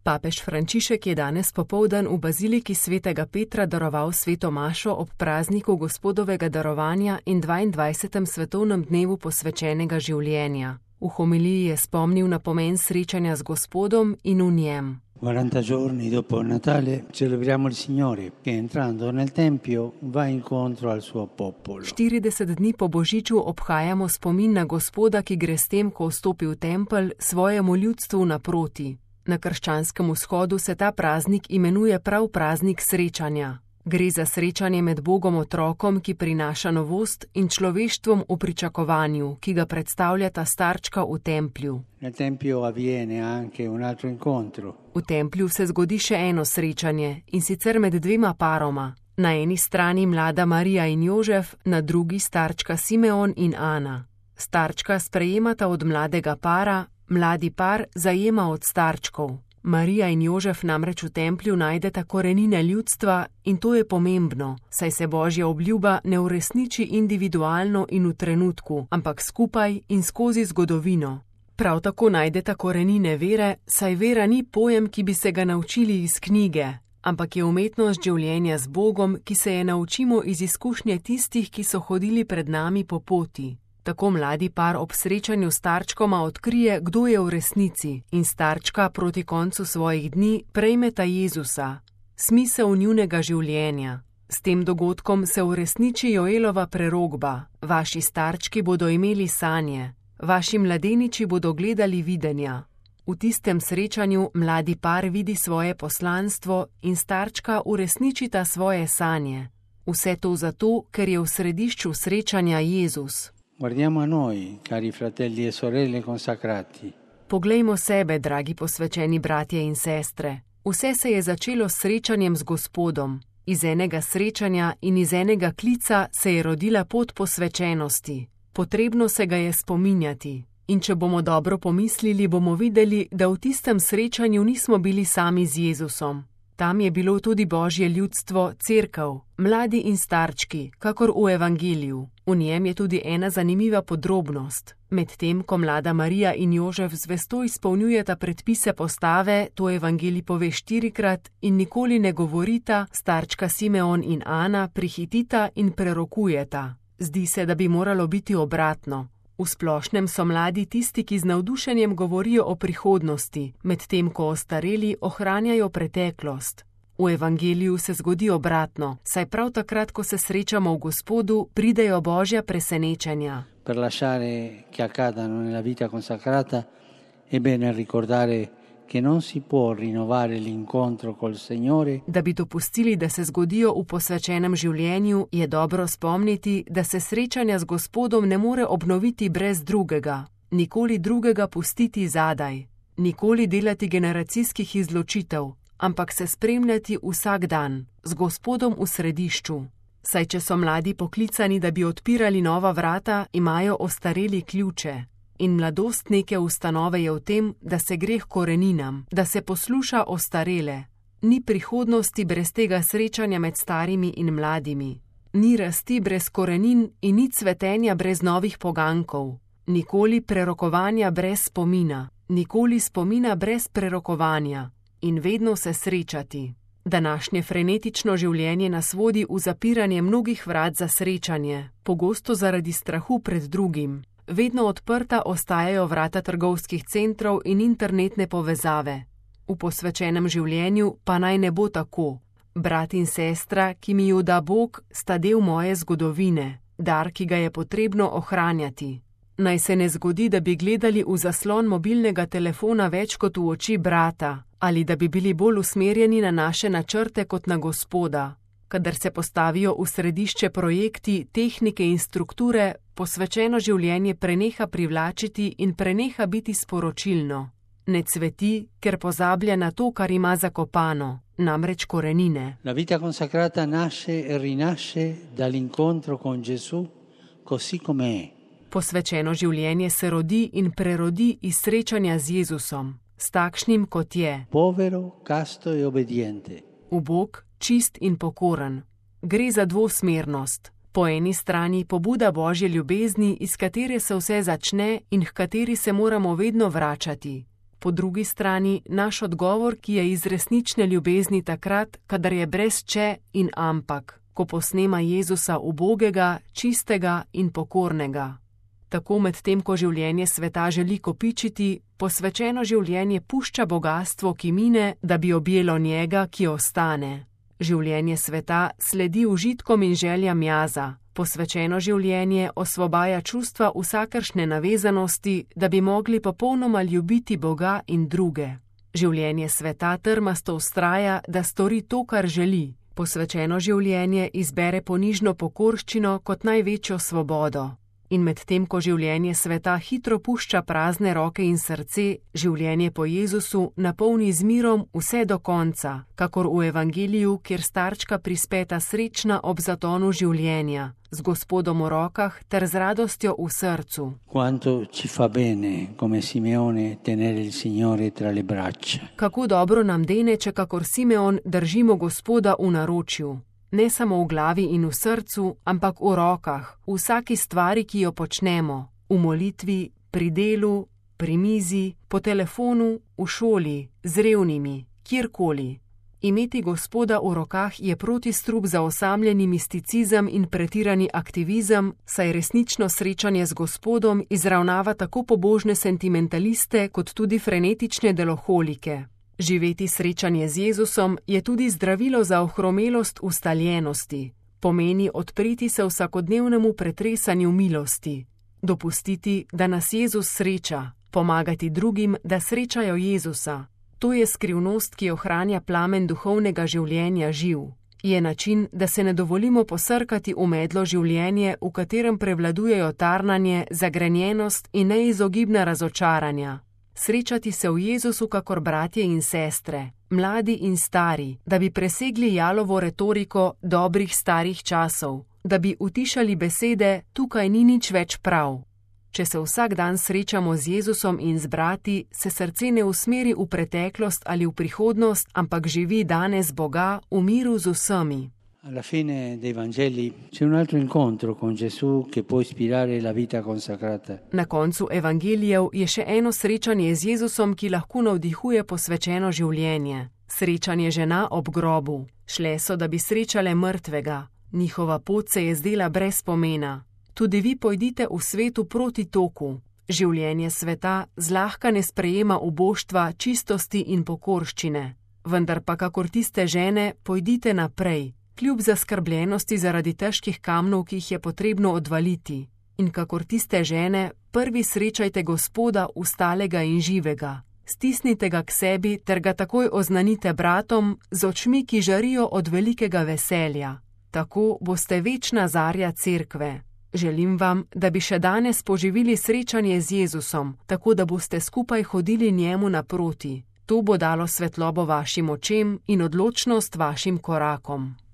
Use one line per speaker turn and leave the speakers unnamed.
Papež Frančišek je danes popoldan v baziliki svetega Petra daroval sveto mašo ob prazniku Gospodovega darovanja in 22. svetovnem dnevu posvečenega življenja. V homiliji je spomnil na pomen srečanja z Gospodom in v njem.
40 giorni dopo Natale celebriamo il Signore che entrando nel Tempio va incontro al suo popolo.
40 dni po Božiču obhajamo spomin na Gospoda, ki gre s tem, ko vstopi v tempelj, svojemu ljudstvu naproti. Na krščanskem vzhodu se ta praznik imenuje prav praznik srečanja. Gre za srečanje med Bogom otrokom, ki prinaša novost, in človeštvom v pričakovanju, ki ga predstavljata starčka v templju.
Nel Tempio avviene anche un altro incontro.
V templju se zgodi še eno srečanje, in sicer med dvema paroma. Na eni strani mlada Marija in Jožef, na drugi starčka Simeon in Ana. Starčka sprejemata od mladega para, mladi par zajema od starčkov. Marija in Jožef namreč v templju najdeta korenine ljudstva in to je pomembno, saj se Božja obljuba ne uresniči individualno in v trenutku, ampak skupaj in skozi zgodovino. Prav tako najdeta korenine vere, saj vera ni pojem, ki bi se ga naučili iz knjige, ampak je umetnost življenja z Bogom, ki se je naučimo iz izkušnje tistih, ki so hodili pred nami po poti. Tako mladi par ob srečanju s starčkoma odkrije, kdo je v resnici, in starčka proti koncu svojih dni prejmeta Jezusa, smisel njunega življenja. S tem dogodkom se uresniči Joelova prerokba: vaši starčki bodo imeli sanje, vaši mladeniči bodo gledali videnja. V tistem srečanju mladi par vidi svoje poslanstvo in starčka uresničita svoje sanje. Vse to zato, ker je v središču srečanja Jezus.
Guardiamo a noi, cari fratelli e sorelle consacrati.
Poglejmo sebe, dragi posvečeni bratje in sestre. Vse se je začelo s srečanjem z Gospodom. Iz enega srečanja in iz enega klica se je rodila pot posvečenosti. Potrebno se ga je spominjati. In če bomo dobro pomislili, bomo videli, da v tistem srečanju nismo bili sami z Jezusom. Tam je bilo tudi Božje ljudstvo, cerkev, mladi in starčki, kakor v evangeliju. V njem je tudi ena zanimiva podrobnost. Medtem, ko mlada Marija in Jožef zvesto izpolnjujeta predpise postave, to evangelij pove 4-krat in nikoli ne govorita, starčka Simeon in Ana prihitita in prerokujeta. Zdi se, da bi moralo biti obratno. V splošnem so mladi tisti, ki z navdušenjem govorijo o prihodnosti, medtem ko ostareli ohranjajo preteklost. V evangeliju se zgodi obratno, saj prav takrat, ko se srečamo v Gospodu, pridejo Božja presenečenja.
Per lasciare che accadano nella vita consacrata è bene ricordare che non si può rinnovare l'incontro col Signore.
Da bi dopustili, da se zgodijo v posvečenem življenju, je dobro spomniti, da se srečanja z Gospodom ne more obnoviti brez drugega, nikoli drugega pustiti zadaj, nikoli delati generacijskih izločitev, ampak se spremljati vsak dan, z Gospodom v središču. Saj če so mladi poklicani, da bi odpirali nova vrata, imajo ostareli ključe. In mladost neke ustanove je v tem, da se gre k koreninam, da se posluša ostarele. Ni prihodnosti brez tega srečanja med starimi in mladimi. Ni rasti brez korenin in ni cvetenja brez novih pogankov. Nikoli prerokovanja brez spomina, nikoli spomina brez prerokovanja. In vedno se srečati. Današnje frenetično življenje nas vodi v zapiranje mnogih vrat za srečanje, pogosto zaradi strahu pred drugim. Vedno odprta ostajajo vrata trgovskih centrov in internetne povezave. V posvečenem življenju pa naj ne bo tako. Brat in sestra, ki mi ju da Bog, sta del moje zgodovine, dar, ki ga je potrebno ohranjati. Naj se ne zgodi, da bi gledali v zaslon mobilnega telefona več kot v oči brata, ali da bi bili bolj usmerjeni na naše načrte kot na Gospoda. Kadar se postavijo v središče projekti, tehnike in strukture, posvečeno življenje preneha privlačiti in preneha biti sporočilno. Ne cveti, ker pozablja na to, kar ima zakopano, namreč korenine.
La vita consacrata nasce e rinasce dall'incontro con Gesù, così com'è.
Posvečeno življenje se rodi in prerodi iz srečanja z Jezusom, s takšnim, kot je.
Povero, casto e obbediente.
Ubog, čist in pokoren. Gre za dvosmernost. Po eni strani pobuda Božje ljubezni, iz katere se vse začne in h kateri se moramo vedno vračati. Po drugi strani naš odgovor, ki je iz resnične ljubezni takrat, kadar je brez če in ampak, ko posnema Jezusa ubogega, čistega in pokornega. Tako medtem, ko življenje sveta želi kopičiti, posvečeno življenje pušča bogastvo, ki mine, da bi objelo njega, ki ostane. Življenje sveta sledi užitkom in željam jaza. Posvečeno življenje osvobaja čustva vsakršne navezanosti, da bi mogli popolnoma ljubiti Boga in druge. Življenje sveta trmasto vztraja, da stori to, kar želi. Posvečeno življenje izbere ponižno pokorščino kot največjo svobodo. In medtem, ko življenje sveta hitro pušča prazne roke in srce, življenje po Jezusu napolni z mirom vse do konca, kakor v Evangeliju, kjer starčka prispeta srečna ob zatonu življenja, z Gospodom v rokah ter z radostjo v srcu.
Quanto ci fa bene, come Simeone, tenere il Signore tra le braccia.
Kako dobro nam dene, če kakor Simeon držimo Gospoda v naročju. Ne samo v glavi in v srcu, ampak v rokah, v vsaki stvari, ki jo počnemo, v molitvi, pri delu, pri mizi, po telefonu, v šoli, z revnimi, kjerkoli. Imeti Gospoda v rokah je protistrup za osamljeni misticizem in pretirani aktivizem, saj resnično srečanje z Gospodom izravnava tako pobožne sentimentaliste kot tudi frenetične deloholike. Živeti srečanje z Jezusom je tudi zdravilo za ohromelost ustaljenosti. Pomeni odpreti se vsakodnevnemu pretresanju milosti. Dopustiti, da nas Jezus sreča. Pomagati drugim, da srečajo Jezusa. To je skrivnost, ki ohranja plamen duhovnega življenja živ. Je način, da se ne dovolimo posrkati v medlo življenje, v katerem prevladujejo tarnanje, zagrenjenost in neizogibna razočaranja. Srečati se v Jezusu kakor bratje in sestre, mladi in stari, da bi presegli jalovo retoriko dobrih starih časov, da bi utišali besede, tukaj ni nič več prav. Če se vsak dan srečamo z Jezusom in z brati, se srce ne usmeri v preteklost ali v prihodnost, ampak živi danes Boga v miru z vsemi.
Alla fine dei Vangeli c'è un altro incontro con Gesù che può ispirare la vita consacrata.
Na koncu evangelijev je še eno srečanje z Jezusom, ki lahko navdihuje posvečeno življenje. Srečanje žena ob grobu. Šle so, da bi srečale mrtvega. Njihova pot se je zdela brez pomena. Tudi vi pojdite v svetu proti toku. Življenje sveta zlahka ne sprejema uboštva, čistosti in pokorščine. Vendar pa kakor tiste žene, pojdite naprej. Kljub zaskrbljenosti zaradi težkih kamnov, ki jih je potrebno odvaliti. In kakor tiste žene, prvi srečajte Gospoda ustalega in živega. Stisnite ga k sebi ter ga takoj oznanite bratom z očmi, ki žarijo od velikega veselja. Tako boste večna zarja cerkve. Želim vam, da bi še danes poživili srečanje z Jezusom, tako da boste skupaj hodili njemu naproti. To bo dalo svetlobo vašim očem in odločnost vašim korakom.